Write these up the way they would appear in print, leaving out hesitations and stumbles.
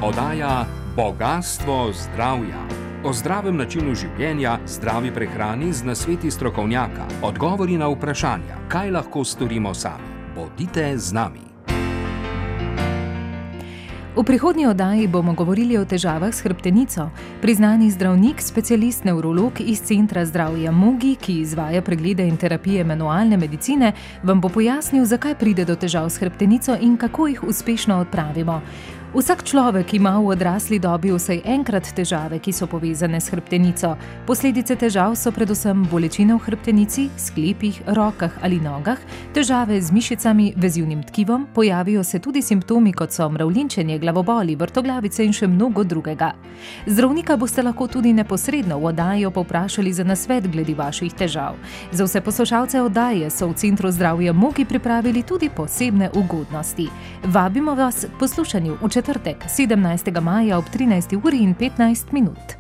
Oddaja Bogastvo zdravja. O zdravem načinu življenja, zdravi prehrani z nasveti strokovnjaka, odgovori na vprašanja, kaj lahko storimo sami. Bodite z nami. V prihodnji oddaji bomo govorili o težavah s hrbtenico. Priznani zdravnik, specialist nevrolog iz Centra zdravja Mugi, ki izvaja preglede in terapije manualne medicine, vam bo pojasnil, zakaj pride do težav s hrbtenico in kako jih uspešno odpravimo. Vsak človek ima v odrasli dobi vsaj enkrat težave, ki so povezane s hrbtenico. Posledice težav so predvsem bolečine v hrbtenici, sklepih, rokah ali nogah, težave z mišicami, vezivnim tkivom, pojavijo se tudi simptomi, kot so mravljinčenje, glavoboli, vrtoglavice in še mnogo drugega. Zdravnika boste lahko tudi neposredno v oddaji povprašali za nasvet glede vaših težav. Za vse poslušalce oddaje so v Centru zdravja Mugi pripravili tudi posebne ugodnosti. Vabimo vas k poslušanju v četrtek, 17. maja ob 13:15.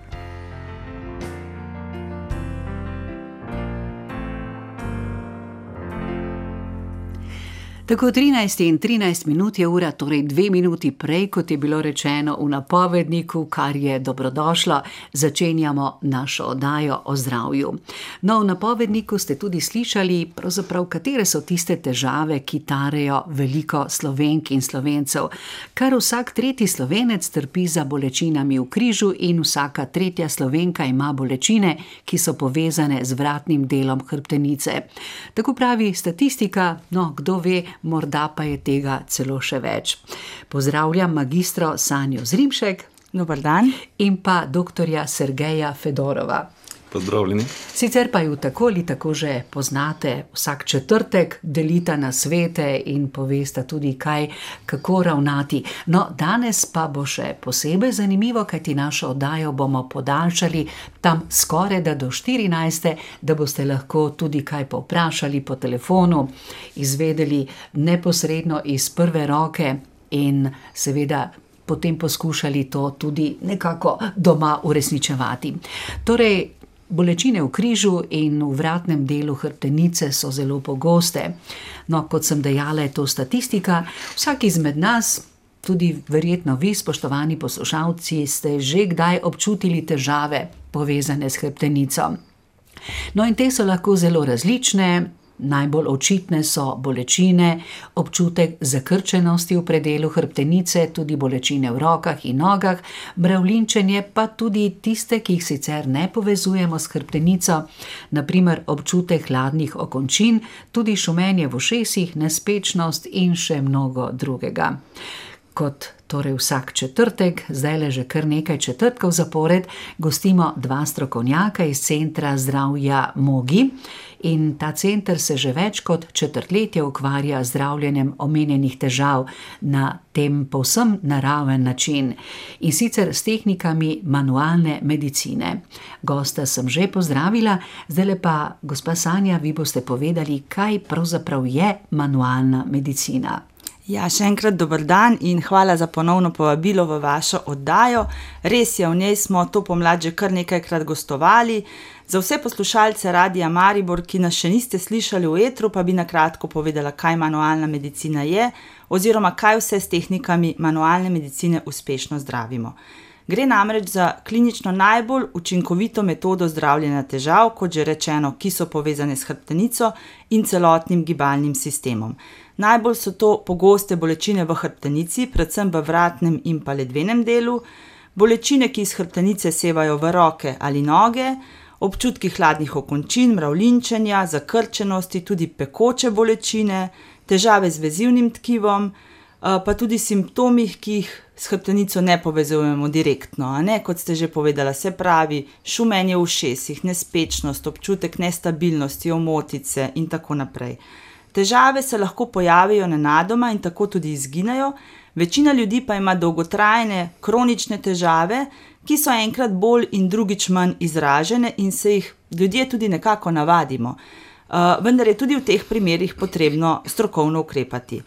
Tako 13:13 je ura, torej 2 minuti prej, kot je bilo rečeno v napovedniku, kar je dobrodošlo, začenjamo našo oddajo o zdravju. No, v napovedniku ste tudi slišali, pravzaprav, katere so tiste težave, ki tarejo veliko Slovenk in Slovencev. Kar vsak tretji Slovenec trpi za bolečinami v križu in vsaka tretja Slovenka ima bolečine, ki so povezane z vratnim delom hrbtenice. Tako pravi statistika, no, kdo ve, morda pa je tega celo še več. Pozdravljam magistro Sanjo Zrimšek. Dobar dan. In pa doktorja Sergeja Fedorova. Pozdravljeni. Sicer pa ju tako ali tako že poznate, vsak četrtek delita nasvete in povesta tudi kako ravnati. No, danes pa bo še posebej zanimivo, kajti našo oddajo bomo podaljšali tam skoraj do 14, da boste lahko tudi kaj povprašali po telefonu, izvedeli neposredno iz prve roke in seveda potem poskušali to tudi nekako doma uresničevati. Torej, bolečine v križu in v vratnem delu hrbtenice so zelo pogoste. No, kot sem dejala, je to statistika. Vsak izmed nas, tudi verjetno vi, spoštovani poslušalci, ste že kdaj občutili težave povezane s hrbtenico. No, in te so lahko zelo različne. Najbolj očitne so bolečine, občutek zakrčenosti v predelu hrbtenice, tudi bolečine v rokah in nogah, mravljinčenje pa tudi tiste, ki jih sicer ne povezujemo s hrbtenico, na primer občutek hladnih okončin, tudi šumenje v ušesih, nespečnost in še mnogo drugega. Kot torej vsak četrtek, zdajle že kar nekaj četrtkov zapored, gostimo 2 strokovnjaka iz Centra zdravja Mugi. In ta center se že več kot četrtletje ukvarja z zdravljenjem omenjenih težav na tem povsem naraven način. In sicer s tehnikami manualne medicine. Gosta sem že pozdravila, zdajle pa, gospa Sanja, vi boste povedali, kaj pravzaprav je manualna medicina. Ja, še enkrat dober dan in hvala za ponovno povabilo v vašo oddajo. Res je, v njej smo to pomlad že kar nekajkrat gostovali. Za vse poslušalce Radia Maribor, ki nas še niste slišali v etru, pa bi na kratko povedala, kaj manualna medicina je, oziroma kaj vse s tehnikami manualne medicine uspešno zdravimo. Gre namreč za klinično najbolj učinkovito metodo zdravljenja težav, kot že rečeno, ki so povezane s hrbtenico in celotnim gibalnim sistemom. Najbolj so to pogoste bolečine v hrbtenici, predvsem v vratnem in pa ledvenem delu, bolečine, ki iz hrbtenice sevajo v roke ali noge, občutki hladnih okončin, mravljinčenja, zakrčenosti, tudi pekoče bolečine, težave z vezivnim tkivom, pa tudi simptomih, ki jih s hrbtenico ne povezujemo direktno, kot ste že povedala, se pravi šumenje v ušesih, nespečnost, občutek nestabilnosti, omotice in tako naprej. Težave se lahko pojavijo nenadoma in tako tudi izginejo, večina ljudi pa ima dolgotrajne, kronične težave, ki so enkrat bolj in drugič manj izražene in se jih ljudje tudi nekako navadimo. Vendar je tudi v teh primerih potrebno strokovno ukrepati.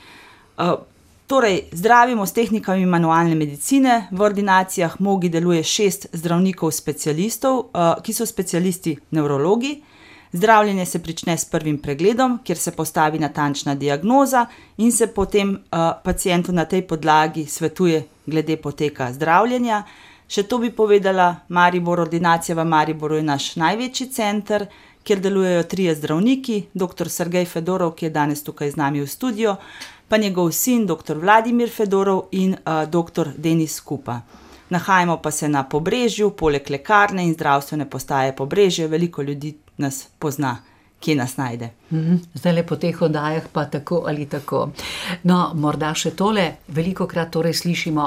Torej, zdravimo s tehnikami manualne medicine, v ordinacijah Mugi deluje 6 zdravnikov specialistov, ki so specialisti nevrologi. Zdravljenje se prične s prvim pregledom, kjer se postavi natančna diagnoza in se potem pacientu na tej podlagi svetuje glede poteka zdravljenja. Še to bi povedala, ordinacija v Mariboru je naš največji center, kjer delujejo 3 zdravniki, dr. Sergej Fedorov, ki je danes tukaj z nami v studiu, pa njegov sin, dr. Vladimir Fedorov in dr. Denis Kupa. Nahajamo pa se na Pobrežju, poleg lekarne in zdravstvene postaje Pobrežje, veliko ljudi nas pozna, kje nas najde. Zdaj le po teh oddajah pa tako ali tako. No, morda še tole, velikokrat torej slišimo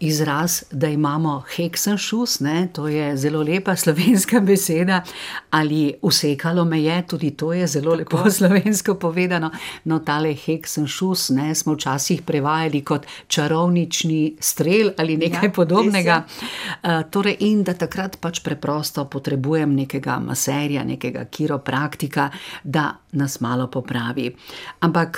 izraz, da imamo Hexenschuss, to je zelo lepa slovenska beseda, ali usekalo me je, tudi to je zelo lepo slovensko povedano. No, tale Hexenschuss, smo včasih prevajali kot čarovnični strel ali nekaj podobnega. Torej, in da takrat pač preprosto potrebujem nekega maserja, nekega kiropraktika, da nas malo popravi. Ampak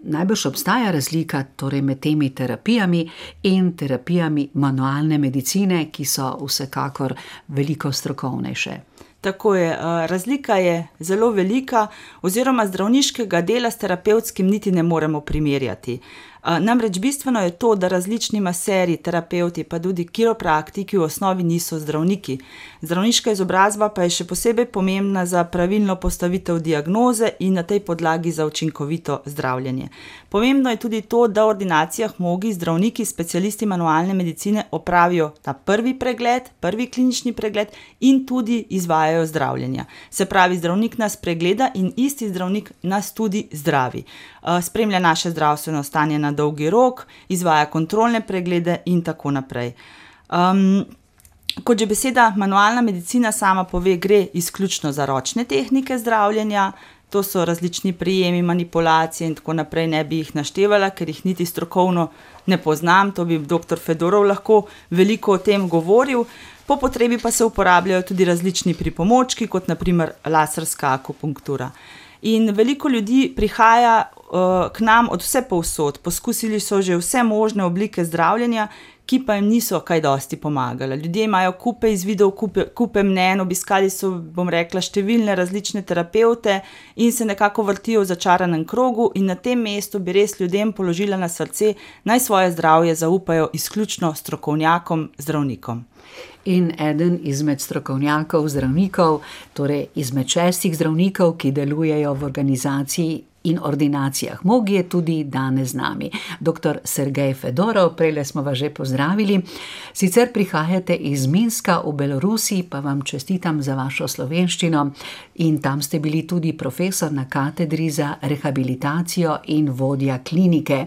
najbrž obstaja razlika torej med temi terapijami in terapijami manualne medicine, ki so vsekakor veliko strokovnejše. Tako je, razlika je zelo velika, oziroma zdravniškega dela s terapevtskim niti ne moremo primerjati. Namreč bistveno je to, da različni maserji, terapevti pa tudi kiropraktiki v osnovi niso zdravniki. Zdravniška izobrazba pa je še posebej pomembna za pravilno postavitev diagnoze in na tej podlagi za učinkovito zdravljenje. Pomembno je tudi to, da v ordinacijah mnogi zdravniki, specialisti manualne medicine opravijo ta prvi pregled, prvi klinični pregled in tudi izvajajo zdravljenja. Se pravi, zdravnik nas pregleda in isti zdravnik nas tudi zdravi. Spremlja naše zdravstveno stanje na dolgi rok, izvaja kontrolne preglede in tako naprej. Kot že beseda manualna medicina sama pove, gre izključno za ročne tehnike zdravljenja, to so različni prijemi, manipulacije in tako naprej, ne bi jih naštevala, ker jih niti strokovno ne poznam, to bi dr. Fedorov lahko veliko o tem govoril. Po potrebi pa se uporabljajo tudi različni pripomočki, kot naprimer laserska akupunktura. In veliko ljudi prihaja k nam od vse povsod, poskusili so že vse možne oblike zdravljenja, ki pa jim niso kaj dosti pomagale. Ljudje imajo kupe izvidov, kupe mnenj, obiskali so, bom rekla, številne različne terapevte in se nekako vrtijo v začaranem krogu in na tem mestu bi res ljudem položila na srce, naj svoje zdravje zaupajo izključno strokovnjakom, zdravnikom. In eden izmed strokovnjakov, zdravnikov, torej izmed 6 zdravnikov, ki delujejo v organizaciji in ordinacijah Mogi, je tudi danes z nami. Dr. Sergej Fedorov, prejle smo vas že pozdravili. Sicer prihajate iz Minska v Belorusiji, pa vam čestitam za vašo slovenščino in tam ste bili tudi profesor na katedri za rehabilitacijo in vodja klinike.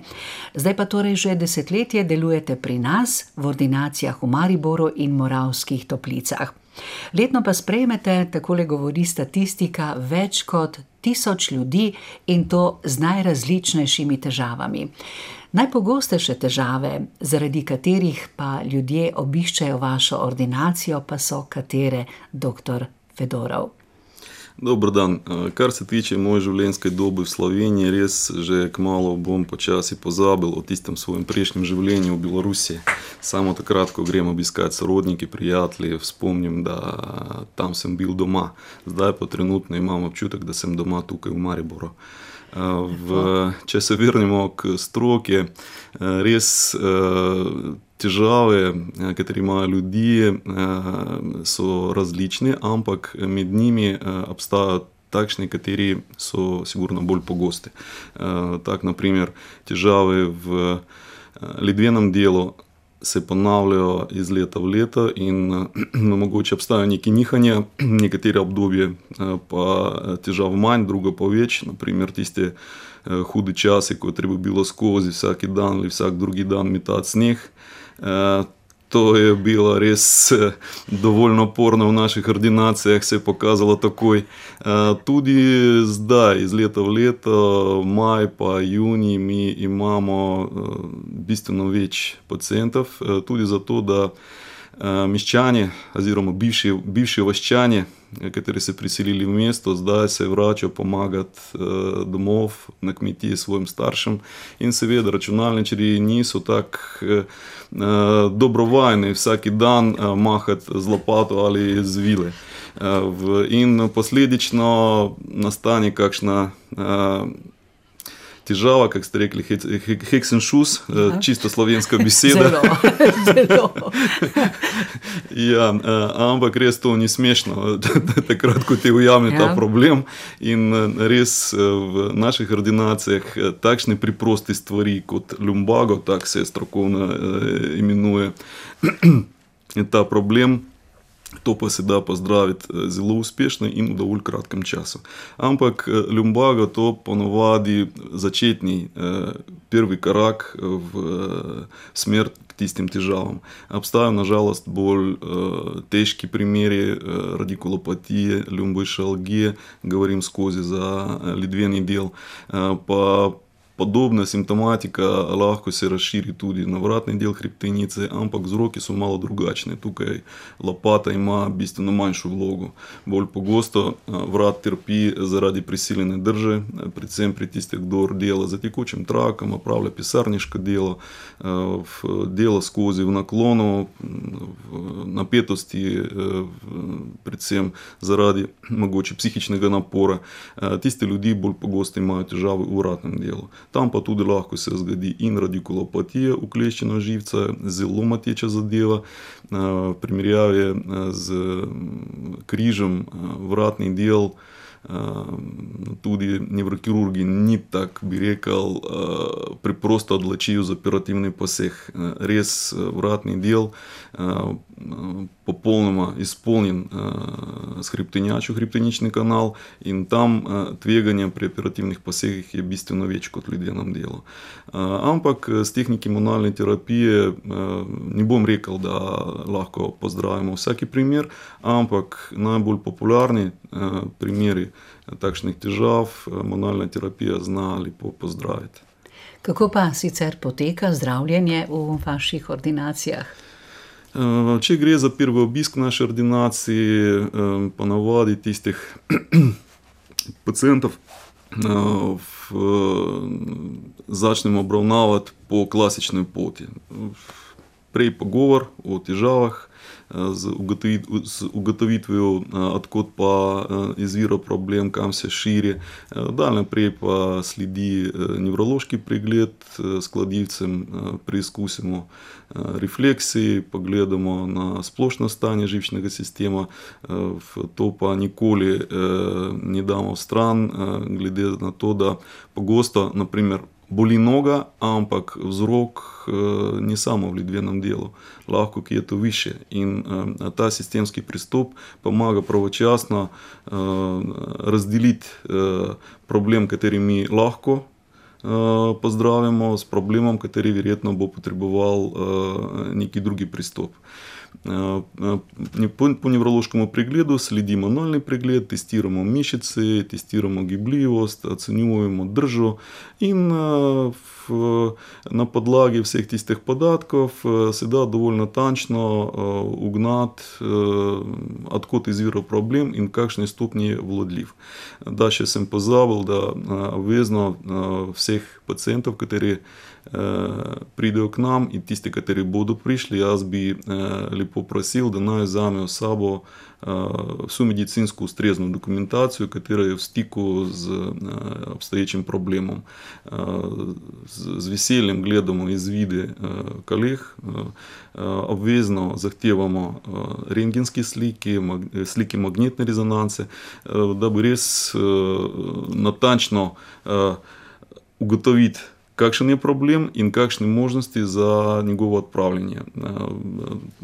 Zdaj pa torej že desetletje delujete pri nas v ordinacijah v Mariboru in Moravskih Toplicah. Letno pa sprejmete, takole govori statistika, več kot 1000 ljudi in to z najrazličnejšimi težavami. Najpogostejše težave, zaradi katerih pa ljudje obiščejo vašo ordinacijo, pa so katere, dr. Fedorov? Dober dan. Kar se tiče moje življenjske dobe v Sloveniji, res že kmalu bom počasi pozabil o tistem svojem prejšnjem življenju v Belorusiji. Samo takrat, ko grem obiskat sorodniki, prijatelji, spomnim, da tam sem bil doma. Zdaj pa trenutno imam občutek, da sem doma tukaj v Mariboru. Če se vrnemo k stroki, res težave, katere imajo ljudje, so različne, ampak med njimi obstajajo takšni, kateri so sigurno bolj pogosti. Tak, naprimer, težave v ledvenem delu se ponavljajo iz leta v leto in mogoče obstajajo neke nihanja, nekatere obdobje pa težav manj, drugo pa več, naprimer tiste hude čase, ko je treba bilo skozi vsaki dan ali vsak drugi dan metati sneg. To je bilo res dovolj naporno v naših ordinacijah, se je pokazalo takoj. Tudi zdaj, iz leta v leto, maj pa junij, mi imamo bistveno več pacientov, tudi zato, da meščani oziroma bivši vaščani, kateri se priselili v mesto, zdaj se vračajo pomagati domov na kmetiji svojim staršem in seveda računalničarji niso tako dobrovajni vsaki dan mahati z lopato ali z vile. In posledično nastane kakšna težava, kako ste rekli, heksenšus, čisto slovenska beseda. Zelo. Ja, ampak res to ni smešno, takrat, ko te ujame ta problem. In res v naših ordinacijah takšne preproste stvari kot lumbago, tako se strokovno imenuje, ta problem, to pa se da pozdraviti zelo uspešno in v dovolj kratkem času. Ampak lumbago to ponovadi začetni prvi korak v smer k tistim težavam. Obstajajo nažalost bolj težki primeri radikulopatije, lumboišalgije, govorim skozi za ledveni del, pa podobna simptomatika lahko se razširi tudi na vratni del hrbtenice, ampak vzroki so malo drugačni. Tukaj lopata ima bistveno manjšo vlogo. Bolj pogosto vrat trpi zaradi prisiljene drže, predvsem pri tistih, kdo dela za tekočim trakom, opravlja pisarniško delo, dela skozi v naklonu, v napetosti, predvsem zaradi mogoče psihičnega napora. Tisti ljudi bolj pogosto imajo težave v vratnem delu. Tam pa tudi lahko se zgodi in radikulopatija, ukleščena živca, zelo mateča zadeva. V primerjavi z križem vratni del tudi nevrokirurgi ni tak, bi rekel, preprosto odločijo za operativni poseg. Res vratni del popolnoma izpolnjen s hrbtenjačo, hrbtenični kanal, in tam tveganje pri operativnih posegih je bistveno več kot v ledvenem delu. Ampak s tehniki manualne terapije ne bom rekel, da lahko pozdravimo vsaki primer, ampak najbolj popularni primeri takšnih težav manualna terapija zna lepo pozdraviti. Kako pa sicer poteka zdravljenje v vaših ordinacijah? Če gre za prvi obisk naše ordinacije, ponavadi tistih pacientov začnemo obravnavati po klasični poti. Prej pogovor o težavah, z ugotovitvijo, odkot pa izvira problem, kam se širi. Dalje naprej pa sledi nevrološki pregled s kladivcem, preizkusimo refleksiji, pogledamo na splošno stanje živčnega sistema, to pa nikoli ne damo stran, glede na to, da pogosto, naprimer, boli noga, ampak vzrok ni samo v ledvenem delu, lahko kje je to više. In ta sistemski pristop pomaga pravočasno razdeliti problem, kateri mi lahko pozdravimo, s problemom, kateri verjetno bo potreboval neki drugi pristop. Po nevrološkem pregledu sledi manualni pregled, testiramo mišice, testiramo gibljivost, ocenjujemo držo in na podlagi vseh tistih podatkov se da dovolj natančno ugnati, odkot izvira problem in kakšne stopnje je vladljiv. Da, še sem pozabil, da obvezno vseh pacientov, kateri pridejo k nam, in tisti, kateri bodo prišli, jaz bi lepo prosil, da naj vzamejo s sabo vso medicinsko ustrezno dokumentacijo, katera je v stiku z obstoječim problemom. Z veseljem gledamo izvide koleg, obvezno zahtevamo rentgenske slike magnetne rezonance, da bi res natančno ugotoviti, kakšen je problem in kakšne možnosti za njegovo odpravljanje.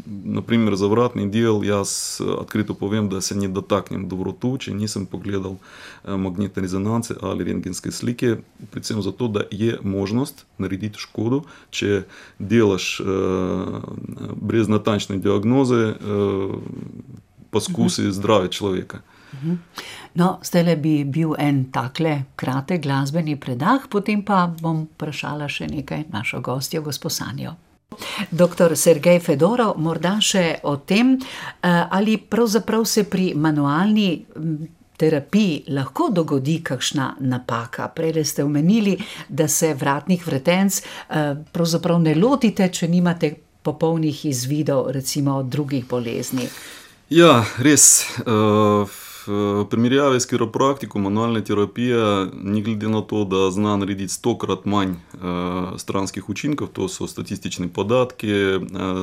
Naprimer, za vratni del jaz odkrito povem, da se ne dotaknem do vratu, če nisem pogledal magnetne rezonance ali rentgenske slike, predvsem zato, da je možnost narediti škodo, če delaš brez natančne diagnoze poskusi zdravja človeka. No, zdajle bi bil en takle kratek glasbeni predah, potem pa bom vprašala še nekaj našo gostjo, gospo Sanjo. Doktor Sergej Fedorov, morda še o tem, ali pravzaprav se pri manualni terapiji lahko dogodi kakšna napaka. Prej ste omenili, da se vratnih vretenc pravzaprav ne lotite, če nimate popolnih izvidov, recimo drugih bolezni. Ja, res. V primerjavi s kiropraktiko manualna terapija, ni glede na to, da zna narediti 100-krat manj stranskih učinkov, to so statistični podatki,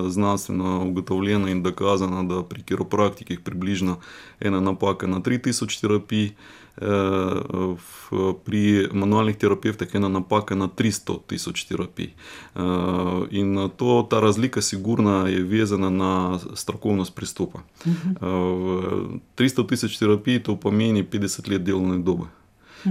znanstveno ugotovljeno in dokazano, da pri kiropraktikih približno ena napaka na 3000 terapij, pri manualnih terapevtih ena napaka na 300 000 terapij. In ta razlika sigurno je vezana na strokovnost pristopa. 300 000 terapij, to pomeni 50 let delovne dobe.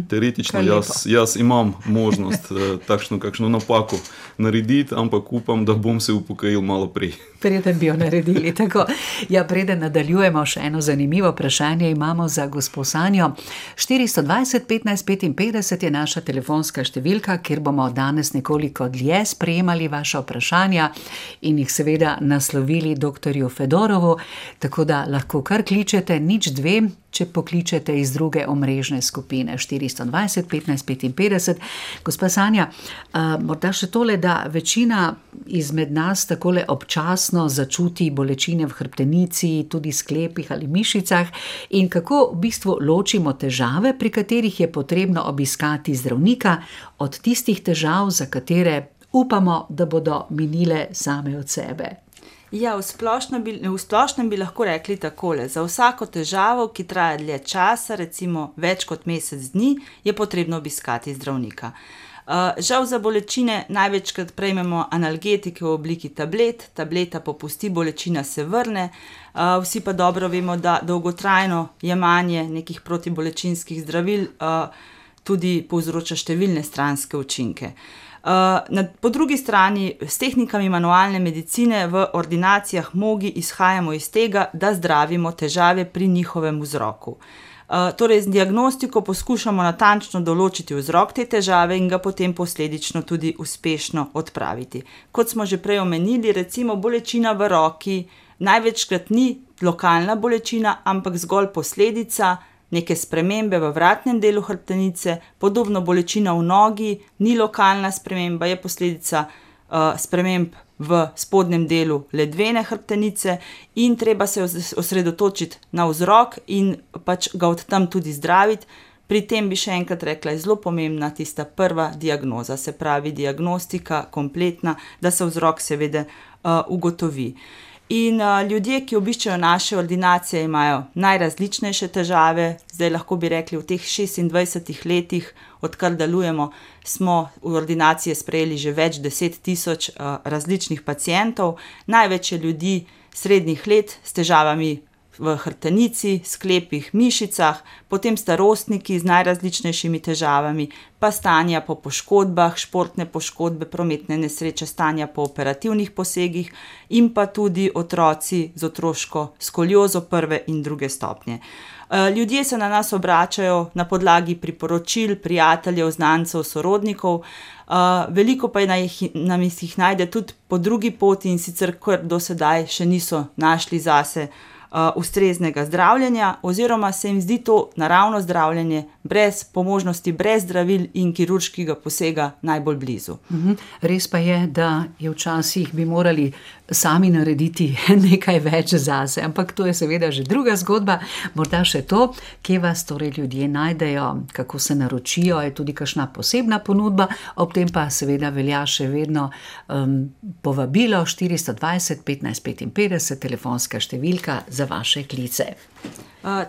Teoretično jaz imam možnost takšno kakšno napako narediti, ampak upam, da bom se upokojil malo prej. Preden bi jo naredili. Tako. Ja, preden nadaljujemo, še eno zanimivo vprašanje imamo za gospo Sanjo. 420 15 55 je naša telefonska številka, kjer bomo danes nekoliko dlje sprejemali vaša vprašanja in jih seveda naslovili doktorju Fedorovu, tako da lahko kar kličete 02, če pokličete iz druge omrežne skupine 420 15 55. Gospa Sanja, morda še tole, da večina izmed nas takole občasno začuti bolečine v hrbtenici, tudi sklepih ali mišicah, in kako v bistvu ločimo težave, pri katerih je potrebno obiskati zdravnika, od tistih težav, za katere upamo, da bodo minile same od sebe. Ja, v splošnem bi lahko rekli takole. Za vsako težavo, ki traja dlje časa, recimo več kot mesec dni, je potrebno obiskati zdravnika. Žal za bolečine največkrat prejmemo analgetike v obliki tablet, tableta popusti, bolečina se vrne, vsi pa dobro vemo, da dolgotrajno jemanje nekih protibolečinskih zdravil tudi povzroča številne stranske učinke. Po drugi strani, s tehnikami manualne medicine v ordinacijah MOGI izhajamo iz tega, da zdravimo težave pri njihovem vzroku. Torej, z diagnostiko poskušamo natančno določiti vzrok te težave in ga potem posledično tudi uspešno odpraviti. Kot smo že prej omenili, recimo bolečina v roki največkrat ni lokalna bolečina, ampak zgolj posledica neke spremembe v vratnem delu hrbtenice, podobno bolečina v nogi ni lokalna sprememba, je posledica sprememb v spodnjem delu ledvene hrbtenice in treba se osredotočiti na vzrok in pač ga od tam tudi zdraviti. Pri tem bi še enkrat rekla, je zelo pomembna tista prva diagnoza, se pravi diagnostika kompletna, da se vzrok seveda ugotovi. In ljudje, ki obiščejo naše ordinacije, imajo najrazličnejše težave. Zdaj lahko bi rekli, v teh 26 letih, odkar delujemo, smo v ordinacije sprejeli že več 10 000 različnih pacientov. Največ je ljudi srednjih let s težavami v hrbtenici, sklepih, mišicah, potem starostniki z najrazličnejšimi težavami, pa stanja po poškodbah, športne poškodbe, prometne nesreče, stanja po operativnih posegih in pa tudi otroci z otroško skoliozo prve in druge stopnje. Ljudje se na nas obračajo na podlagi priporočil, prijateljev, znancev, sorodnikov, veliko pa nam jih najde tudi po drugi poti in sicer kar do sedaj še niso našli zase ustreznega zdravljenja oziroma se jim zdi to naravno zdravljenje po možnosti brez zdravil in kirurškega posega najbolj blizu. Res pa je, da je včasih bi morali sami narediti nekaj več zase, ampak to je seveda že druga zgodba. Morda še to, kje vas torej ljudje najdejo, kako se naročijo, je tudi kakšna posebna ponudba, ob tem pa seveda velja še vedno povabilo 420 15 55, telefonska številka za vaše klice.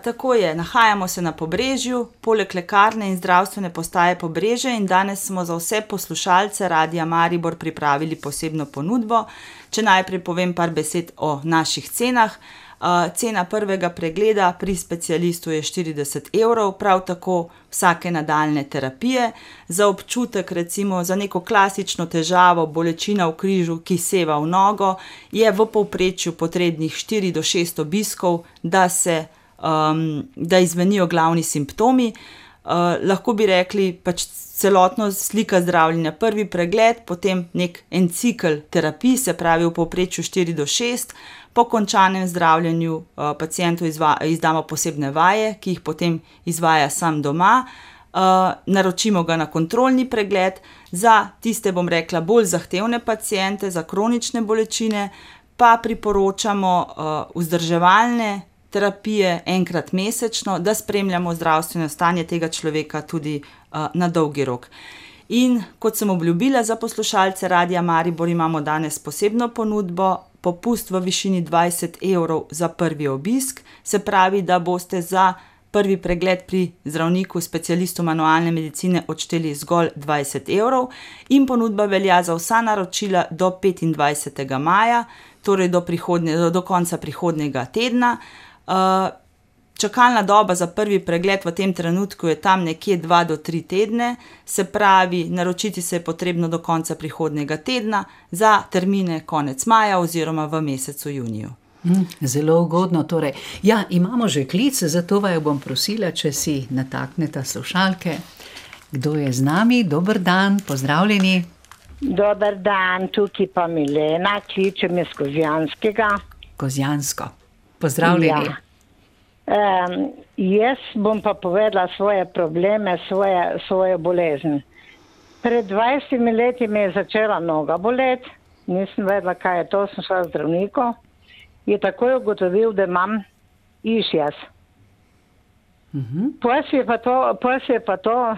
Tako je, nahajamo se na Pobrežju, poleg lekarne in zdravstvene postaje Pobrežje in danes smo za vse poslušalce Radia Maribor pripravili posebno ponudbo. Če najprej povem par besed o naših cenah. Cena prvega pregleda pri specialistu je 40 €, prav tako vsake nadaljne terapije. Za občutek, recimo za neko klasično težavo, bolečina v križu, ki seva v nogo, je v povprečju potrebnih 4 do 6 obiskov, da izvenijo glavni simptomi. Lahko bi rekli pač celotno slika zdravljenja. Prvi pregled, potem en cikel terapij, se pravi v povprečju 4 do 6. Po končanem zdravljenju pacientu izdamo posebne vaje, ki jih potem izvaja sam doma. Naročimo ga na kontrolni pregled. Za tiste, bom rekla, bolj zahtevne paciente, za kronične bolečine, pa priporočamo vzdrževalne terapije enkrat mesečno, da spremljamo zdravstveno stanje tega človeka tudi na dolgi rok. In kot sem obljubila za poslušalce Radia Maribor, imamo danes posebno ponudbo, popust v višini 20 € za prvi obisk, se pravi, da boste za prvi pregled pri zdravniku, specialistu manualne medicine odšteli zgolj 20 € in ponudba velja za vsa naročila do 25. maja, torej do konca prihodnjega tedna. Čakalna doba za prvi pregled v tem trenutku je tam nekje 2 do 3 tedne, se pravi, naročiti se je potrebno do konca prihodnjega tedna za termine konec maja oziroma v mesecu juniju. Zelo ugodno, torej. Ja, imamo že klic, zato vaju bom prosila, če si natakneta slušalke. Kdo je z nami? Dober dan, pozdravljeni. Dober dan, tukaj pa Milena, kličem iz Kozjanskega. Kozjansko. Pozdravljeni. Ja. Jaz bom pa povedala svoje probleme, svojo bolezen. Pred 20 leti mi je začela noga boleti, nisem vedela, kaj je to, sem šla zdravniku. Je takoj ugotovil, da imam išjas. Potem je pa to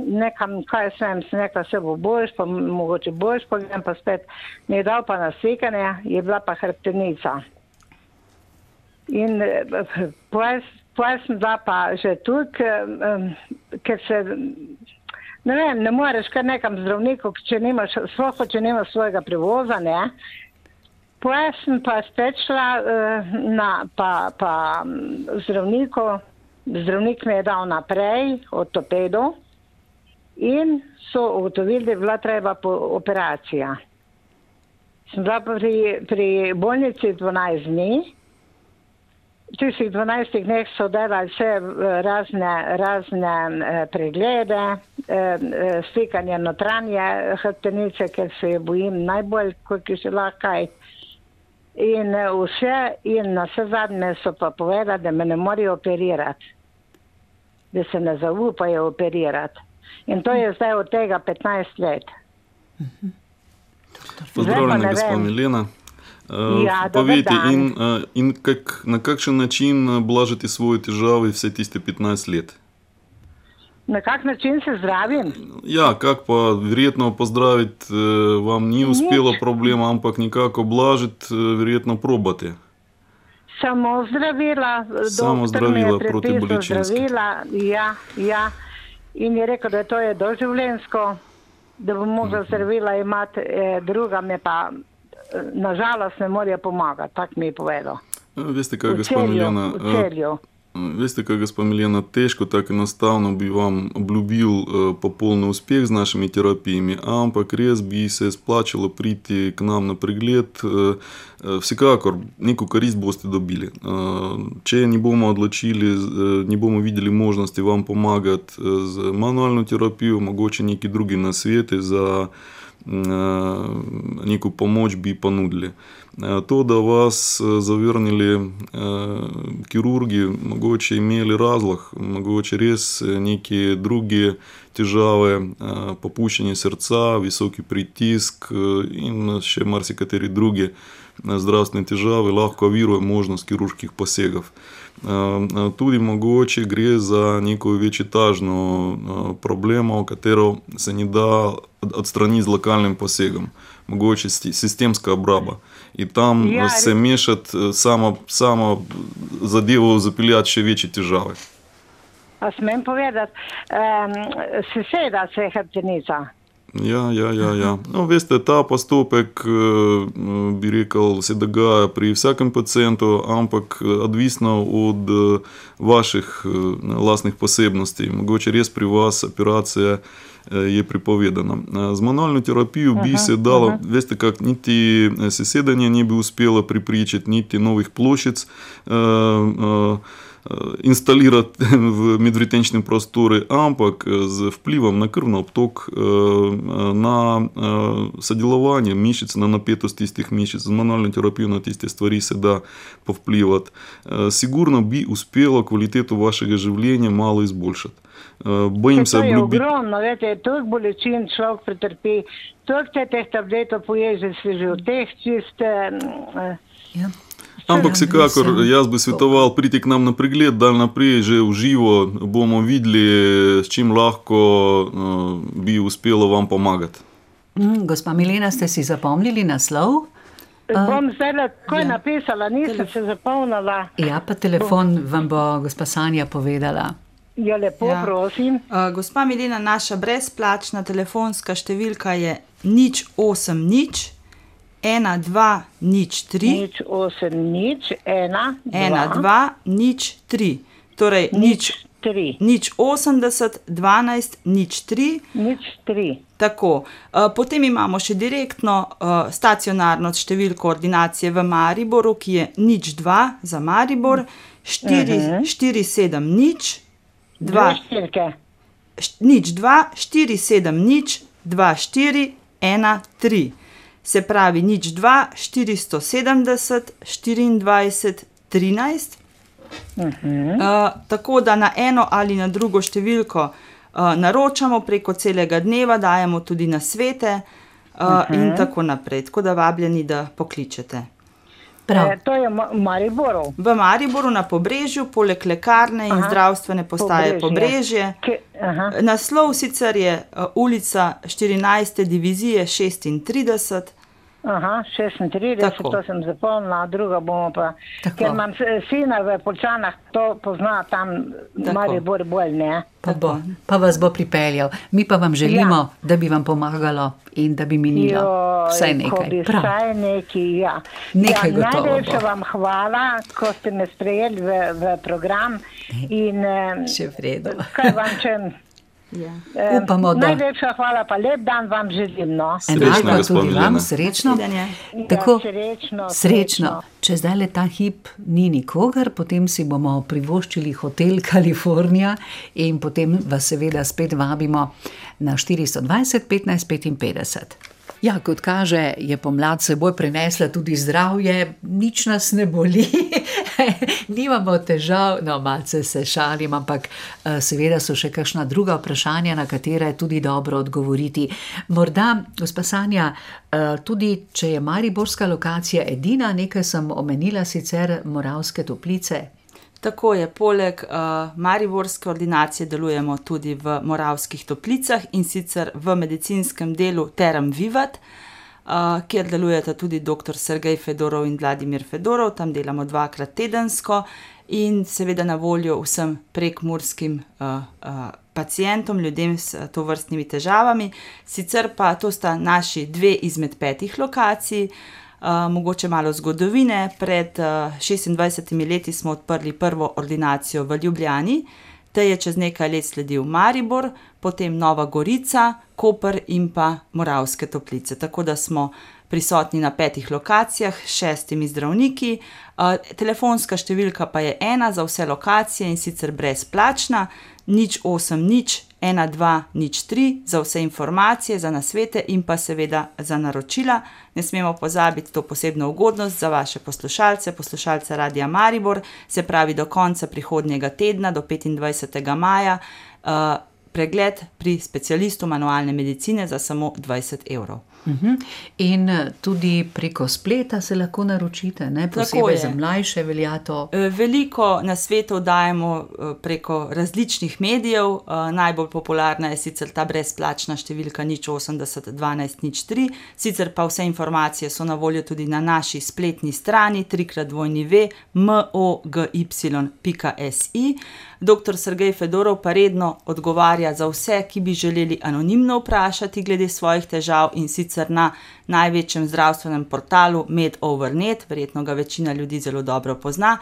nekam, kaj sem rekla, se bo boljš, pa mogoče boljš, pa grem pa spet. Mi je dal pa na slikanje, je bila pa hrbtenica. In potem sem bila pa že tukaj, ker se, ne vem, ne moreš kar nekam zdravniku, če nimaš svojega prevoza, ne. Potem sem pa spet šla pa zdravniku, zdravnik me je dal naprej, ortopedu, in so ugotovili, da je bila treba operacija. Sem bila pri bolnici 12 dni, v tistih 12 dneh so delali vse razne preglede, slikanje notranje hrbtenice, ker se je bojim najbolj, koliko še lahko. In na vse zadnje so pa povedali, da me ne morejo operirati, da se ne zaupajo operirati. In to je zdaj od tega 15 let. Pozdravljena, gospa Milena. Povejte, in na kakšen način blažite svoje težave vse tiste 15 let? Na kak način se zdravim? Ja, kak pa verjetno pozdraviti vam ni uspelo problema, ampak nekako blažiti verjetno probate. Samo zdravila, doktor mi je prepisal zdravila, ja. In je rekel, da to je doživljenjsko, da bom mogla zdravila imati, druga me pa nažalost ne morejo pomagati, tako mi je povedal. Veste kaj, gospa Milena? V Celju. Veste kaj, gospa Milena, težko tako enostavno bi vam obljubil popoln uspeh z našimi terapijami, ampak res bi se splačalo priti k nam na pregled. Vsekakor neko korist boste dobili. Če ne bomo odločili, ne bomo videli možnosti vam pomagati z manualno terapijo, mogoče neki drugi nasveti za neko pomoč bi ponudili. To, da vas zavrnili kirurgi, mogoče imeli razlog, mogoče res neke druge težave, popuščanje srca, visoki pritisk in še marsikateri drugi zdravstvene težave lahko ovirajo možnost kirurških posegov. Tudi mogoče gre za neko večetažno problemo, katero se ne da odstraniti z lokalnim posegom. Mogoče sistemska obraba. In tam se mešati samo zadevo zapeljati še večje težave. A smem povedati, seseda se je hrbtenica. Ja. No, veste, ta postopek, bi rekel, se dogaja pri vsakem pacientu, ampak odvisno od vaših lastnih posebnosti. Mogoče res pri vas operacija je prepovedana. Z manualno terapijo bi se dalo, veste kak, niti sesedanje ne bi uspelo pripričati, niti novih ploščic instalirati v medvretenčnem prostoru, ampak z vplivom na krvni obtok, na sodelovanje mišic, na napetost tistih mišic, z manualno terapijo na tiste stvari se da povplivati. Sigurno bi uspelo kvaliteto vašega življenja malo izboljšati. Bojim se obljubiti. To je ogromno, vete, toliko bolečin človek pretrpi, toliko teh tabletov poje, že si že v teh čiste... Ampak vsekakor, jaz bi svetoval priti k nam na pregled, da naprej že v živo bomo videli, s čim lahko bi uspelo vam pomagati. Gospa Milena, ste si zapomnili naslov? Bom zdaj takoj napisala, nisem se zapomnila. Ja, pa telefon vam bo gospa Sanja povedala. Ja, lepo, prosim. Gospa Milena, naša brezplačna telefonska številka je 080 1203 1203. Torej 080 12 03. 03. Tako. Potem imamo še direktno stacionarno številko ordinacije v Mariboru, ki je 02 za Maribor 470 Dve štirke. 02 470 2413. Se pravi 02 470 24 13. Tako da na eno ali na drugo številko naročamo preko celega dneva, dajemo tudi nasvete in tako naprej. Tako da vabljeni, da pokličete. To je v Mariboru. V Mariboru na Pobrežju, poleg lekarne in zdravstvene postaje Pobrežje. Naslov sicer je ulica 14. divizije 36. 36, tako. To sem zapomnila, druga bomo pa, tako. Ker imam sina v Poljčanah, to pozna tam Maribor bolj, ne? Pa vas bo pripeljal. Mi pa vam želimo, da bi vam pomagalo in da bi minilo vsaj nekaj. Vsaj nekaj, ja. Nekaj gotovo bo. Najlepša vam hvala, ko ste me sprejeli v program. In še vredo. kaj vam čem? Upamo, da. Najlepša hvala, pa lep dan vam želim. No. Enako tudi vam, srečno. Tako, srečno. Če zdaj le ta hip ni nikogar, potem si bomo privoščili hotel Kalifornija in potem vas seveda spet vabimo na 420 15 55. Ja, kot kaže, je pomlad seboj prinesla tudi zdravje, nič nas ne boli, nimamo težav, no malce se šalim, ampak seveda so še kakšna druga vprašanja, na katere je tudi dobro odgovoriti. Morda, gospa Sanja, tudi če je mariborska lokacija edina, nekaj sem omenila sicer Moravske Toplice. Tako je, poleg mariborske ordinacije delujemo tudi v Moravskih Toplicah in sicer v medicinskem delu Term Vivat, kjer delujeta tudi dr. Sergej Fedorov in Vladimir Fedorov, tam delamo 2-krat tedensko in seveda na voljo vsem prekmurskim pacientom, ljudem s tovrstnimi težavami. Sicer pa to sta naši 2 izmed 5 lokacij. Mogoče malo zgodovine. Pred 26 leti smo odprli prvo ordinacijo v Ljubljani, te je čez nekaj let sledil Maribor, potem Nova Gorica, Koper in pa Moravske Toplice. Tako da smo prisotni na 5 lokacijah s 6 zdravniki. Telefonska številka pa je 1 za vse lokacije in sicer brezplačna, 080 1203 za vse informacije, za nasvete in pa seveda za naročila. Ne smemo pozabiti to posebno ugodnost za vaše poslušalce Radia Maribor, se pravi do konca prihodnjega tedna, do 25. maja, pregled pri specialistu manualne medicine za samo 20 evrov. In tudi preko spleta se lahko naročite, ne? Posebej za mlajše velja to. Veliko nasvetov dajemo preko različnih medijev, najbolj popularna je sicer ta brezplačna številka 080 12 03, sicer pa vse informacije so na voljo tudi na naši spletni strani www.mogy.si. Dr. Sergej Fedorov pa redno odgovarja za vse, ki bi želeli anonimno vprašati glede svojih težav in sicer na največjem zdravstvenem portalu Med/Over.net, verjetno ga večina ljudi zelo dobro pozna.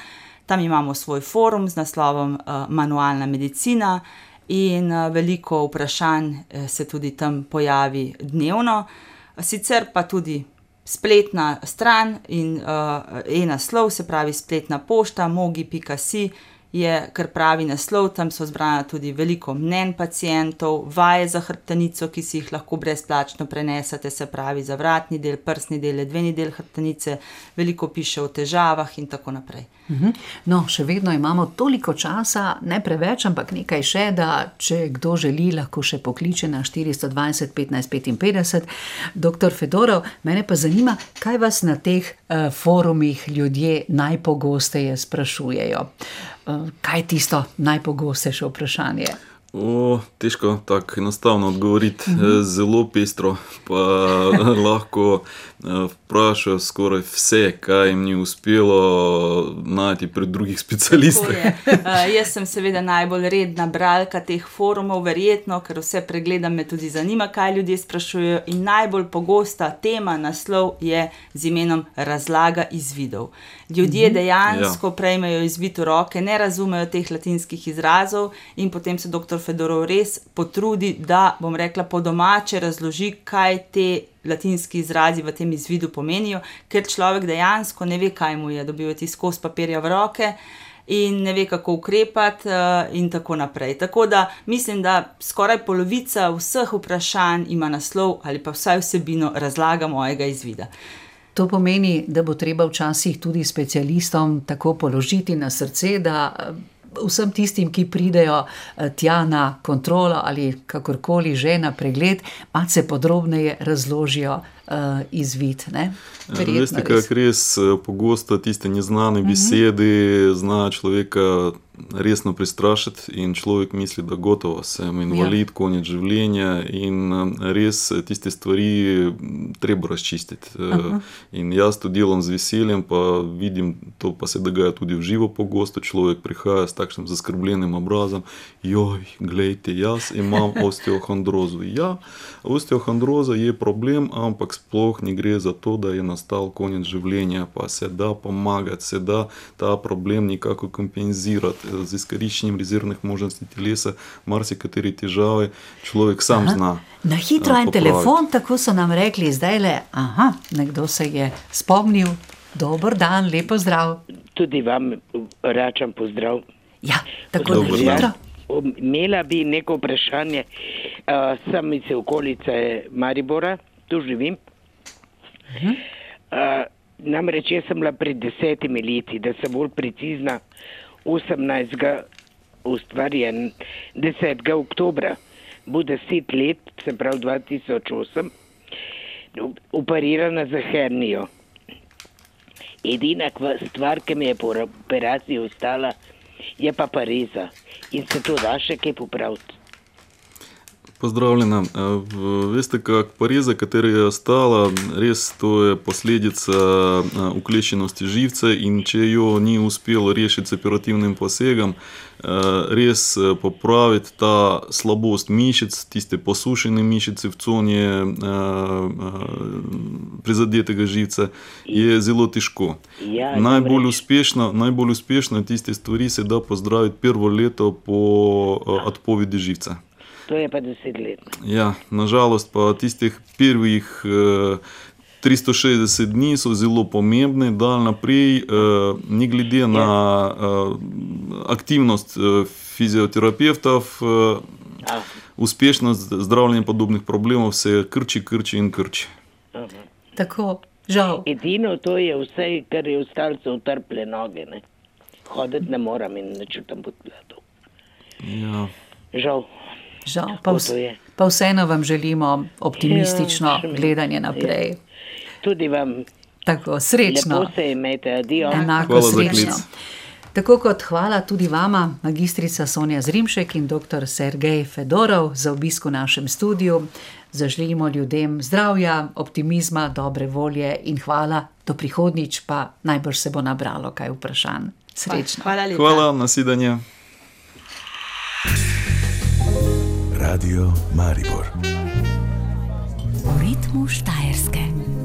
Tam imamo svoj forum z naslovom Manualna medicina in veliko vprašanj se tudi tam pojavi dnevno. Sicer pa tudi spletna stran in e-naslov, se pravi spletna pošta mogi.si je kar pravi naslov, tam so zbrana tudi veliko mnenj pacientov, vaje za hrbtenico, ki si jih lahko brezplačno prenesete, se pravi za vratni del, prsni del, ledveni del hrbtenice, veliko piše o težavah in tako naprej. No, še vedno imamo toliko časa, ne preveč, ampak nekaj še, da če kdo želi, lahko še pokliče na 420 15 55. Doktor Fedorov, mene pa zanima, kaj vas na teh forumih ljudje najpogosteje sprašujejo. Kaj je tisto najpogostejše vprašanje? Težko tako enostavno odgovoriti, zelo pestro, pa lahko vprašajo skoraj vse, kaj jim ni uspelo najti pri drugih specialistih. Jaz sem seveda najbolj redna bralka teh forumov, verjetno, ker vse pregledam, me tudi zanima, kaj ljudje sprašujejo, in najbolj pogosta tema, naslov je z imenom razlaga izvidov. Ljudje dejansko prejmejo izvid v roke, ne razumejo teh latinskih izrazov in potem se doktor Fedorov res potrudi, da, bom rekla, po domače razloži, kaj te latinski izrazi v tem izvidu pomenijo, ker človek dejansko ne ve, kaj mu je, dobiva ti skos papirja v roke in ne ve, kako ukrepati in tako naprej. Tako da mislim, da skoraj polovica vseh vprašanj ima naslov ali pa vsaj vsebino razlaga mojega izvida. To pomeni, da bo treba včasih tudi specialistom tako položiti na srce, da vsem tistim, ki pridejo tja na kontrolo ali kakorkoli že na pregled, malce podrobneje razložijo izvid, ne? Veste, kako res pogosto tiste neznane besede znajo človeka resno prestrašiti in človek misli, da gotovo sem invalid, konec življenja in res tiste stvari treba razčistiti. In jaz to delam z veseljem, pa vidim, to pa se dogaja tudi v živo pogosto, človek prihaja s takšnim zaskrbljenim obrazom, glejte, jaz imam osteohondrozo. Ja, osteohondroza je problem, ampak sploh ne gre za to, da je nastal konec življenja, pa se da pomagati, se da ta problem nekako kompenzirati z izkoriščenjem rezervnih možnosti telesa, marsikateri težave človek sam zna. Na hitro en telefon, tako so nam rekli zdajle, nekdo se je spomnil. Dober dan, lepo zdrav. Tudi vam račam pozdrav. Ja, tako na hitro. Imela bi neko vprašanje, sem iz okolice Maribora, tu živim. Namreč jaz sem bila pred 10 leti, da sem bolj precizna, 18. ustvarjen 10. oktobra, bo 10 let, se pravi 2008, operirana za hernijo. Edina stvar, ki mi je po operaciji ostala, je pa pareza. In se to da še kaj popraviti? Pozdravljena. Veste, kak pareza, katera je ostala, res to je posledica ukleščenosti živca in če jo ni uspelo rešiti s operativnim posegom, res popraviti ta slabost mišic, tiste posušene mišice v coni prizadetega živca, je zelo težko. Najbolj uspešno tiste stvari se da pozdraviti prvo leto po odpovedi živca. To je pa 10 let. Ja, nažalost pa tistih prvih 360 dni so zelo pomembne, dal naprej, ne glede na aktivnost fizioterapevtov, uspešnost zdravljenja podobnih problemov se krči in krči. Tako, žal. Edino to je vse, kar je ostalo, so utrple noge, ne. Hoditi ne moram in ne čutim podkladov. Ja. Žal, pa vseeno vam želimo optimistično gledanje naprej. Tudi vam. Tako, srečno. Lepo se imejte, adijo. Enako srečno. Tako kot hvala tudi vama, magistrica Sonja Zrimšek in doktor Sergej Fedorov, za obisk v našem studiu. Zaželimo ljudem zdravja, optimizma, dobre volje in hvala. Do prihodnjič pa najbrž se bo nabralo kaj vprašanj. Srečno. Hvala lepa. Hvala, nasvidenje. Radio Maribor. V ritmu Štajerske.